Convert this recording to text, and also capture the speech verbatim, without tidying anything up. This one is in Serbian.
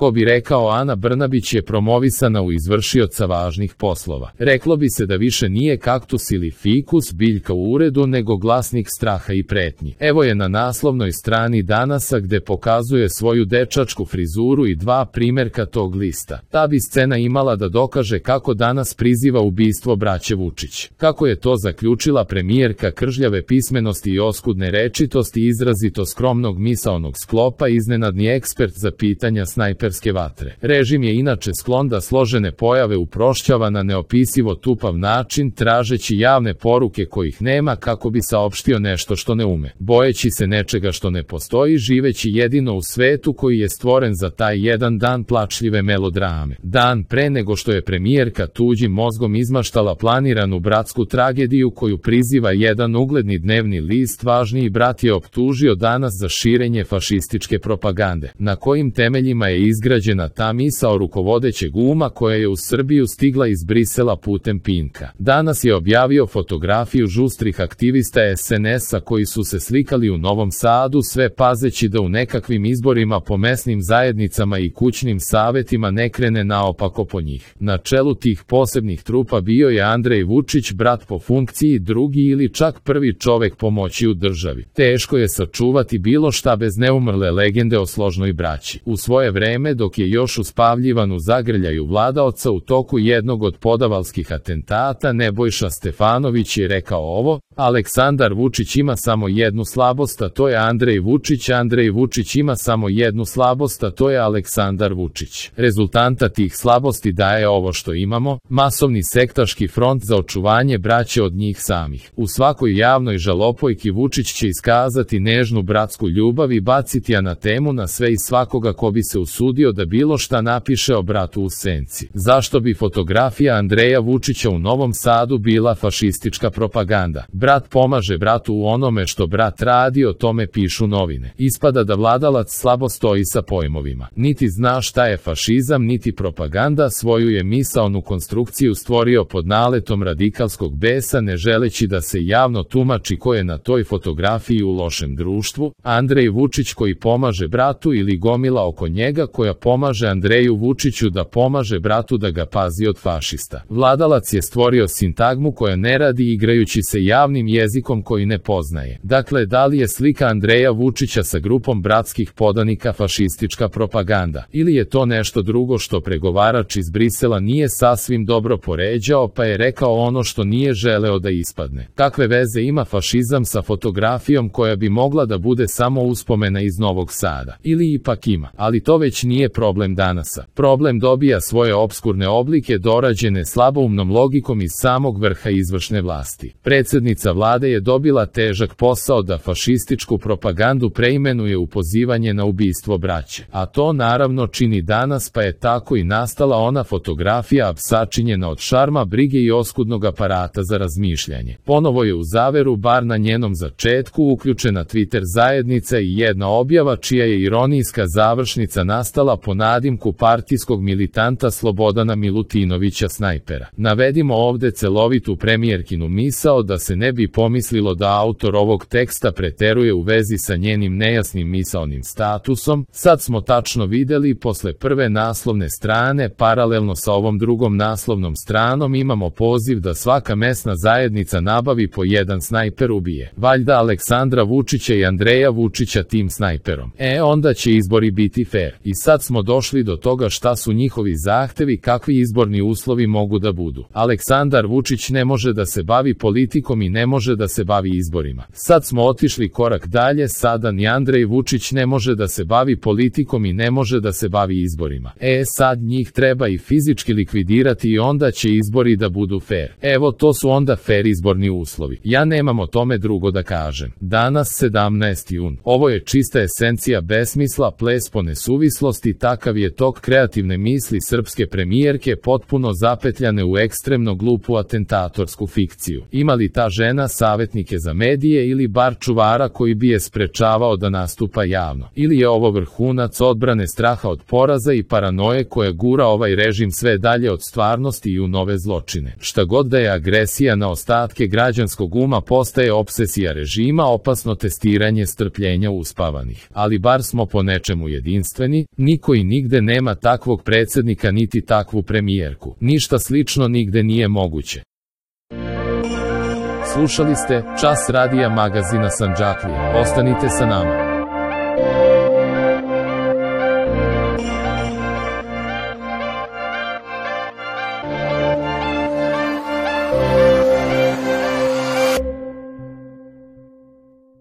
Ko bi rekao, Ana Brnabić je promovisana u izvršioca važnih poslova. Reklo bi se da više nije kaktus ili fikus, biljka u uredu, nego glasnik straha i pretnji. Evo je na naslovnoj strani Danasa gde pokazuje svoju dečačku frizuru i dva primerka tog lista. Ta bi scena imala da dokaže kako danas priziva ubistvo braće Vučić. Kako je to zaključila premijerka kržljave pismenosti i oskudne rečitosti, izrazito skromnog misaonog sklopa, iznenadni ekspert za pitanja snajperske vatre. Režim je inače sklon da složene pojave uprošćava na neopisivo tupav način, tražeći javne poruke kojih nema kako bi saopštio nešto što ne ume. Bojeći se nečega što ne postoji, živeći jedino u svetu koji je stvoren za taj jedan dan plačljive melodrame. Dan pre nego što je premijerka tuđim mozgom izmaštala planiranu bratsku tragediju koju priziva jedan ugledni dnevni list, važniji brat je optužio Danas za širenje fašističke propagande. Na kojim temeljima je izgrađena ta misao rukovodećeg uma koja je u Srbiju stigla iz Brisela putem Pinka? Danas je objavio fotografiju žustrih aktivista es en es-a koji su se slikali u Novom Sadu, sve pazeći da u nekakvim izborima po mesnim zajednicama i kućnim savetima ne krene naopako po njih. Na čelu tih posebnih trupa bio je Andrej Vučić, brat po funkciji, drugi ili čak prvi čovek po moći u državi. Teško je sačuvati bilo šta bez neumrle legende o složnoj braći. U svoje vreme, dok je još uspavljivan u zagrljaju vladaoca u toku jednog od podavalskih atentata, Nebojša Stefanović je rekao ovo: Aleksandar Vučić ima samo jednu slabost, a to je Andrej Vučić. Andrej Vučić ima samo jednu slabost, a to je Aleksandar Vučić. Rezultanta tih slabosti daje ovo što imamo, masovni sektaški front za očuvanje braće od njih samih. U svakoj javnoj žalopojki Vučić će iskazati nežnu bratsku ljubav i baciti anatemu na sve i svakoga ko bi se usudio da bilo šta napiše o bratu u senci. Zašto bi fotografija Andreja Vučića u Novom Sadu bila fašistička propaganda? Brat pomaže bratu u onome što brat radi, o tome pišu novine. Ispada da vladalac slabo stoji sa pojmovima. Niti zna šta je fašizam, niti propaganda, svoju je misaonu konstrukciju stvorio pod naletom radikalskog besa, ne želeći da se javno tumači ko je na toj fotografiji u lošem društvu, Andrej Vučić koji pomaže bratu ili gomila oko njega koja pomaže Andreju Vučiću da pomaže bratu da ga pazi od fašista. Vladalac je stvorio sintagmu koja ne radi igrajući se javnim jezikom koji ne poznaje. Dakle, da li je slika Andreja Vučića sa grupom bratskih podanika fašistička propaganda? Ili je to nešto drugo što pregovarač iz Brisela nije sasvim dobro poređao pa je rekao ono što nije želeo da ispadne? Kakve veze ima fašizam sa fotografijom koja bi mogla da bude samo uspomena iz Novog Sada? Ili ipak ima? Ali to već nije problem Danasa. Problem dobija svoje opskurne oblike dorađene slaboumnom logikom iz samog vrha izvršne vlasti. Predsednica vlade je dobila težak posao da fašističku propagandu preimenuje u pozivanje na ubistvo braće. A to naravno čini Danas, pa je tako i nastala ona fotografija sačinjena od šarma, brige i oskudnog aparata za razmišljanje. Ponovo je u zaveru, bar na njenom začetku, uključena Twitter zajednica i jedna objava čija je ironijska završnica nastala po nadimku partijskog militanta Slobodana Milutinovića Snajpera. Navedimo ovde celovitu premijerkinu misao da se ne bi pomislilo da autor ovog teksta preteruje u vezi sa njenim nejasnim misaonim statusom. Sad smo tačno videli, posle prve naslovne strane, paralelno sa ovom drugom naslovnom stranom imamo poziv da svaka mesna zajednica nabavi po jedan snajper ubije. Valjda Aleksandra Vučića i Andreja Vučića tim snajperom. E, onda će izbori biti fair. I sad smo došli do toga šta su njihovi zahtevi, kakvi izborni uslovi mogu da budu. Aleksandar Vučić ne može da se bavi politikom i ne može da se bavi izborima. Sad smo otišli korak dalje, sada ni Andrej Vučić ne može da se bavi politikom i ne može da se bavi izborima. E, sad njih treba i fizički likvidirati i onda će izbori da budu fair. Evo, to su onda fair izborni uslovi. Ja nemam o tome drugo da kažem. Danas sedamnaesti jun. Ovo je čista esencija besmisla, ples po nesuvislosti, takav je tok kreativne misli srpske premijerke, potpuno zapetljane u ekstremno glupu atentatorsku fikciju. Ima li ta žena savetnike za medije ili bar čuvara koji bi je sprečavao da nastupa javno? Ili je ovo vrhunac odbrane straha od poraza i paranoje koja gura ovaj režim sve dalje od stvarnosti i u nove zločine? Šta god da je agresija na ostatke građanskog uma postaje opsesija režima, opasno testiranje strpljenja uspavanih. Ali bar smo po nečemu jedinstveni, ni Niko i nigde nema takvog predsjednika niti takvu premijerku. Ništa slično nigde nije moguće. Slušali ste Čas radija magazina Sandžaklija. Ostanite sa nama.